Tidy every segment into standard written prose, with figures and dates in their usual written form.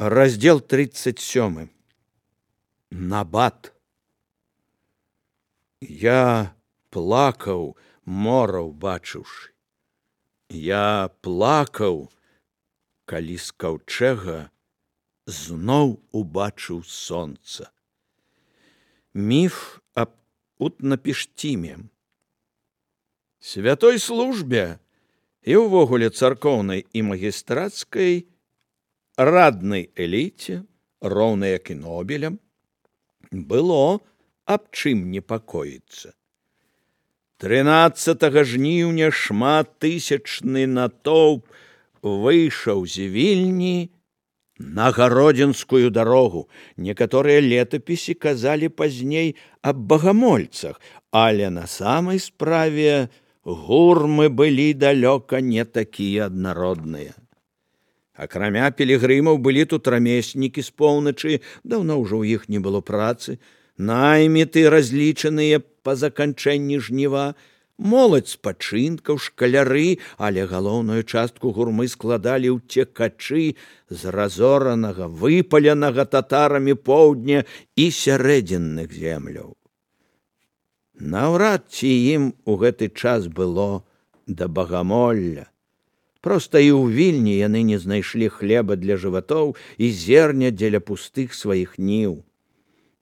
Раздел 37. Набат. Я плакаў, мора ўбачыўшы. Я плакаў, калі з каўчэга зноў убачыў сонца. Міф аб Утнапіштіме. Святой службе і ўвогуле царкоўнай і магістрацкай раднай эліце, роўна як і Нобелям, было аб чым непакоіцца. 13 жніўня шматтысячны натоўп выйшаў з Вільні на Гародзінскую дарогу. Некаторыя летапісы казалі пазней аб багамольцах, але на самай справе гурмы былі далёка не такія аднародныя. Акрамя пілігрымаў былі тут рамеснікі з поўначы, даўно ўжо ў іх не было працы, найміты, разлічаныя па заканчэнні жніва, моладзь спачынкаў, шкаляры, але галоўную частку гурмы складалі ўцекачы з разоранага, выпаленага татарамі поўдня і сярэдзінных земляў. Наўрад ці ім у гэты час было да багамолля. Проста і ў Вільні яны не знайшлі хлеба для жыватоў і зерня дзеля пустых сваіх ніў.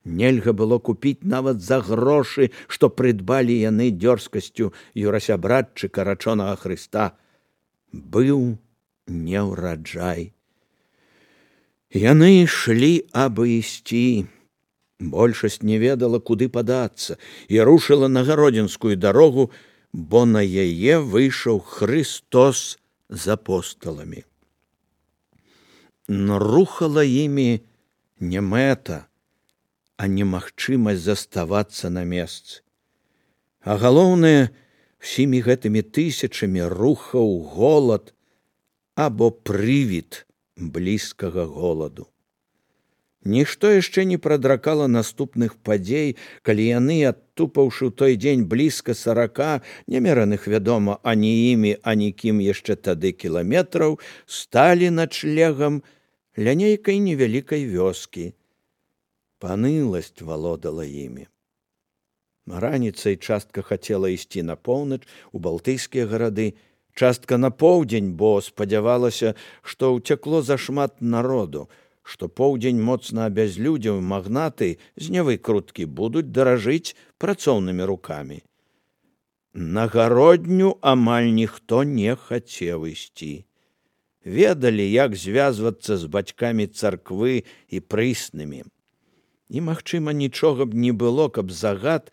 Нельга было купіць нават за грошы, што прыдбалі яны дзёрзкасцю юрасябратчыка рачонага Хрыста. Быў неўраджай. Яны ішлі, абы ісці. Большасць не ведала, куды падацца, і рушыла на Гародзінскую дарогу, бо на яе выйшаў Хрыстос з апосталамі. Но рухала імі не мэта, а немагчымасць заставацца на месцы. А галоўнае, всімі гэтымі тысячамі рухаў голад або прывід блізкага голаду. Нішто яшчэ не прадракала наступных падзей, калі яны, адтупаўшы ў той дзень блізка 40, немераных, вядома, ані імі, ані кім яшчэ тады кіламетраў, сталі начлегам ля нейкай невялікай вёскі. Паныласць валодала імі. Раніцай частка хацела ісці на поўнач, у балтыйскія гарады, частка на поўдзень, бо спадзявалася, што ўцякло зашмат народу, што поўдзень моцна абязлюдзеў, магнаты з невыкруткі будуць даражыць працоўнымі рукамі. На гародню амаль ніхто не хацеў ісці. Ведалі, як звязвацца з бацькамі царквы і прыснымі. І, магчыма, нічога б не было, каб загад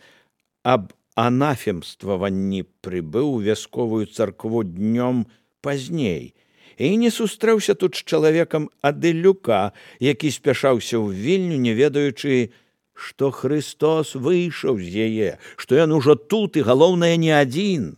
аб анафемстваванні прыбыў у вясковую царкву днём пазней, і не сустрэўся тут з чалавекам ад Іллюка, які спяшаўся ў Вільню, не ведаючы, што Хрыстос выйшаў з яе, што ён ужо тут і, галоўнае, не адзін.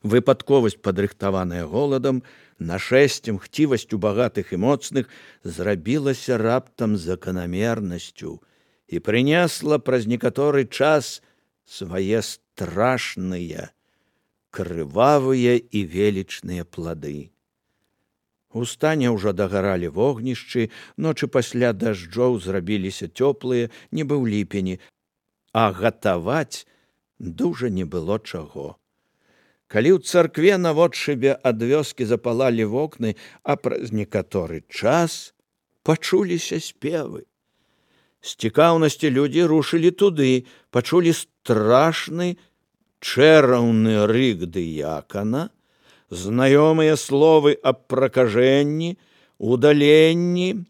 Выпадковасць, падрыхтаваная голадам, нашэсцем, хцівасцю багатых і моцных, зрабілася раптам заканамернасцю і прынесла праз некаторы час свае страшныя, крывавыя і велічныя плады. У стане ўжо дагаралі вогнішчы, ночы пасля дажджоў зрабіліся цёплыя, нібы ў ліпені, а гатаваць дужа не было чаго. Калі ў царкве наводшыбе ад вёскі запалалі вокны, а праз некаторы час пачуліся спевы. З цікаўнасці людзі рушылі туды, пачулі страшны, чэраўны рык дыякана, знаёмыя словы аб пракажэнні, удаленні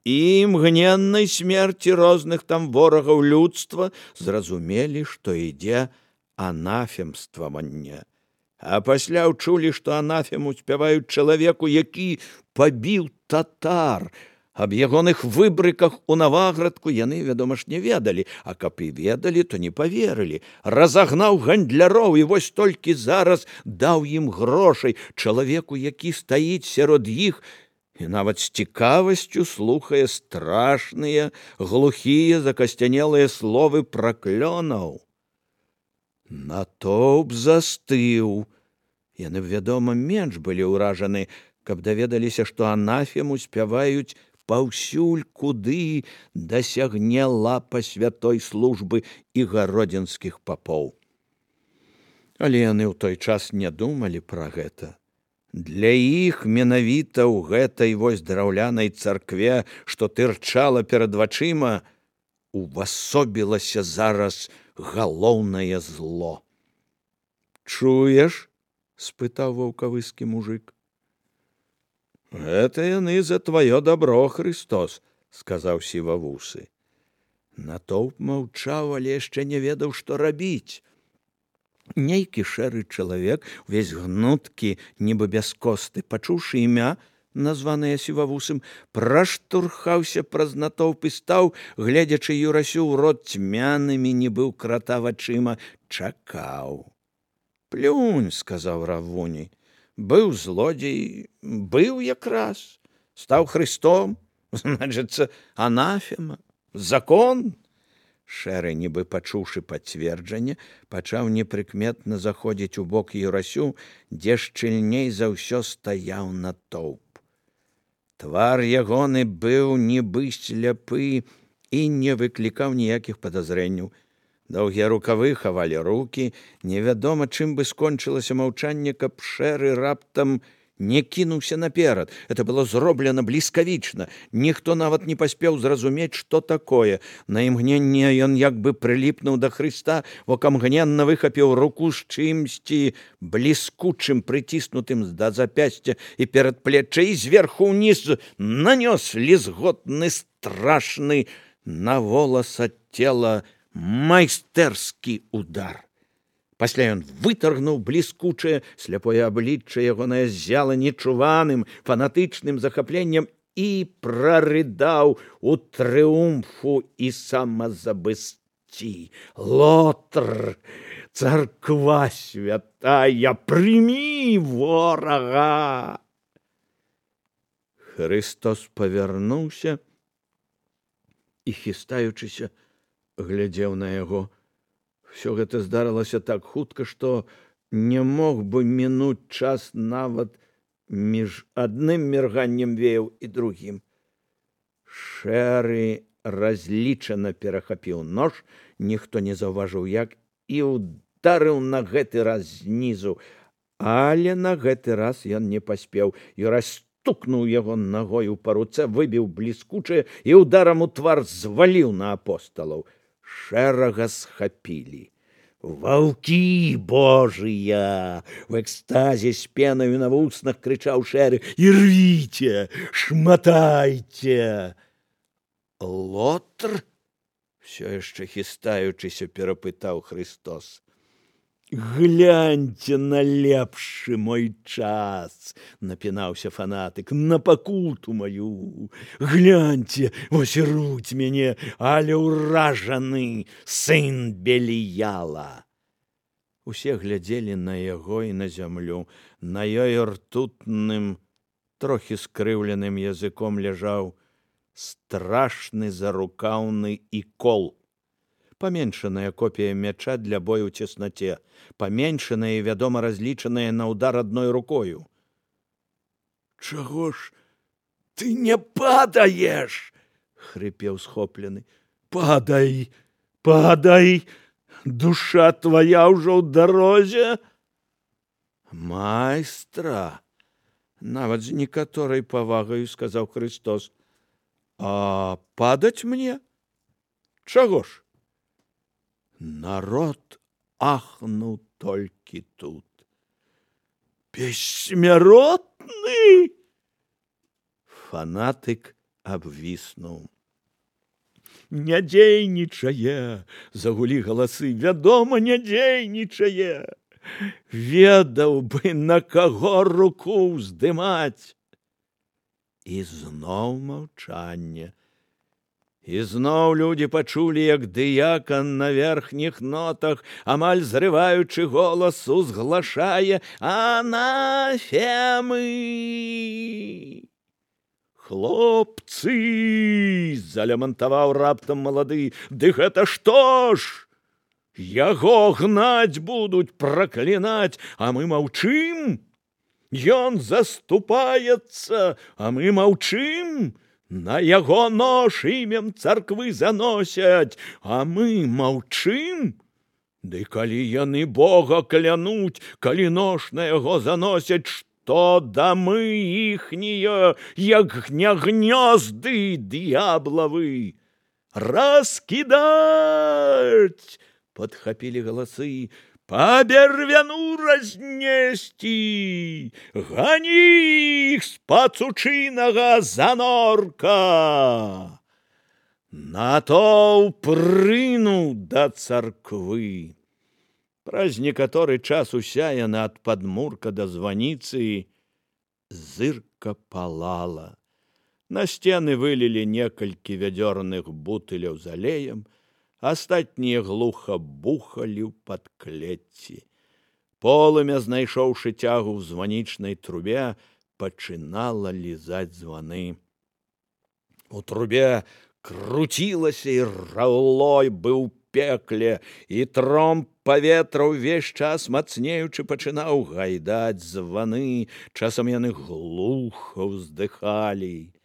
і імгненнай смерці розных там ворагаў людства, зразумелі, што ідзе анафемстваванне. А пасля ўчулі, што анафему спяваюць чалавеку, які пабіў татар. Аб ягоных выбрыках у Наваградку яны, вядома ж, не ведалі, а каб і ведалі, то не паверылі. Разагнаў гандляроў і вось толькі зараз даў ім грошай чалавеку, які стаіць сярод іх і нават з цікавасцю слухае страшныя, глухія, закасцянелыя словы праклёнаў. Натоўп застыў. Яны, вядома, менш былі ўражаны, каб даведаліся, што анафему спяваюць паўсюль, куды дасягне лапа святой службы і гародзінскіх папоў. Але яны ў той час не думалі пра гэта. Для іх менавіта ў гэтай вось драўлянай царкве, што тырчала перад вачыма, увасобілася зараз галоўнае зло. «Чуеш?» – спытаў ваўкавыскі мужык. «Гэта яны за тваё дабро, Христос», – сказаў сівавусы. Натоўп маўчаў, але яшчэ не ведаў, што рабіць. Нейкі шэры чалавек, увесь гнуткі, нібы без косты, пачуўшы імя, названае сівавусым, праштурхаўся праз натоўп і стаў, гледзячы Юрасю ў рот цьмянымі, нібы ў крата вачыма, чакаў. «Плюнь», – сказаў Равуні. «Быў злодзей, быў якраз, стаў Христом, значыцца, анафема, закон». Шэры, нібы пачуўшы пацверджанне, пачаў непрыкметна заходзіць у бок Юрасю, дзе шчыльней за ўсё стаяў натоўп. Твар ягоны быў нібы сляпы і не выклікаў ніякіх падазрэнняў. Доўгія рукавы хавалі рукі, невядома, чым бы скончылася маўчанне, каб шэры раптам не кінуўся наперад. Это было зроблена бліскавічна. Ніхто нават не паспеў зразумець, што такое. На імгненне ён як бы прыліпнуў да Хрыста, окамгненна выхапіў руку з чымсьці бліскучым, прыціснутым да запясця і перадплечча, і зверху ўніз нанёс лізготны, страшны на волас ад цела майстэрскі удар. Пасля ён вытаргнуў бліскучае, сляпое аблічча ягонае ззяла нечуваным, фанатычным захапленнем і прарыдаў у трыумфу і самазабысцці. «Лотр, царква святая, прымі ворага!» Христос павярнуўся і, хістаючыся, глядзеў на яго. Всё гэта здарылася так хутка, што не мог бы мінуць час нават між адным мірганнем веяў і другім. Шэры разлічана перахапіў нож, ніхто не заўважыў як, і ударыў на гэты раз знізу. Але на гэты раз ён не паспеў. Юрась стукнуў яго нагою па руцэ, выбіў бліскучае і ударам у твар зваліў на апосталаў. Шэрага схапілі. «Ваўкі божыя!» – в экстазе з пенаю на вуснах крычаў Шэры. «Ірвіце! Шматайце!» «Лотр?» – всё яшчэ хістаючыся перапытаў Христос. «Гляньце на лепшы мой час!» – напінаўся фанатык. «На пакуту маю! Гляньце, вось руць мяне, але ўражаны сын Беліяла!» Усе глядзелі на яго і на зямлю. На ёй ртутным, трохі скрыўленым языком ляжаў страшны зарукаўны ікол. Паменшаная копія мяча для бою ў цеснаце, паменшаная і, вядома, разлічаная на ўдар адной рукою. «Чаго ж ты не падаеш?» – хрыпеў схоплены. «Падай, падай! Душа твая ўжо ў дарозе!» «Майстра!» – нават з некаторай павагаю сказаў Христос. «А падаць мне? Чаго ж?» Народ ахнуў толькі тут. «Бессмяротны!» Фанатык абвіснуў. «Не дзейнічае!» – загулі галасы. «Вядома, не дзейнічае! Ведаў бы, на каго руку ўздымаць!» І зноў маўчанне. І зноў людзі пачулі, як дыякан на верхніх нотах, амаль зрываючы голас, узглашае «Анафемы!» «Хлопцы!» – залямантаваў раптам малады. «Ды гэта што ж? Яго гнаць будуць, праклінаць, а мы маўчым? Ён заступаецца, а мы маўчым. На яго нож імем царквы заносяць, а мы маўчым. Ды калі яны Бога клянуць, калі нож на яго заносяць, што дамы іхнія, як не гнёзды д'яблавы. Раскідаць! Падхапілі галасы. Па бервяну разнесці! Гані іх з пацучынага занорка! Натоўп рынуў да царквы. Праз некаторы час уся яна ад падмурка да званіцы зырка палала. На сцены вылілі некалькі вядзёрных бутыляў з алеем, астатнія глуха бухалі ў падклецці. Полымя, знайшоўшы цягу ў званічнай трубе, пачынала лізаць званы. У трубе круцілася і раўлой быў пекле, і тромб паветра ўвесь час мацнеючы пачынаў гайдаць званы, часам яны глуха ўздыхалі.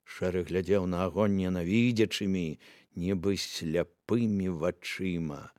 Шэры глядзеў на агонь ненавідзячымі, нібы сляпымі вачыма.